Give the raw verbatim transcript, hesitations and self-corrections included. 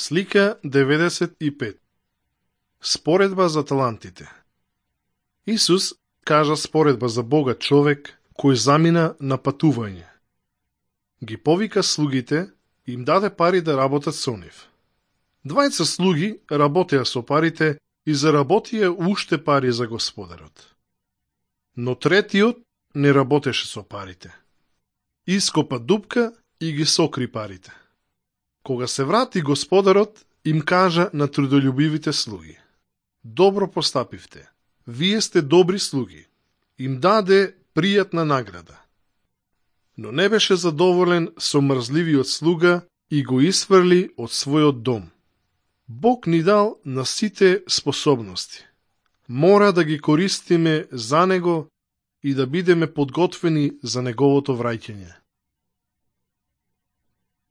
Слика деветдесет и пет. Споредба за талантите. Исус кажа споредба за богат човек кој замина на патување. Ги повика слугите и им даде пари да работат со нив. Двајца слуги работеа со парите и заработија уште пари за господарот. Но третиот не работеше со парите. Ископа дупка и ги сокри парите. Кога се врати господарот, им кажа на трудолюбивите слуги: добро постапивте, вие сте добри слуги. Им даде пријатна награда. Но не беше задоволен со мрзливиот слуга и го исфрли од својот дом. Бог ни дал на сите способности. Мора да ги користиме за Него и да бидеме подготвени за Неговото враќање.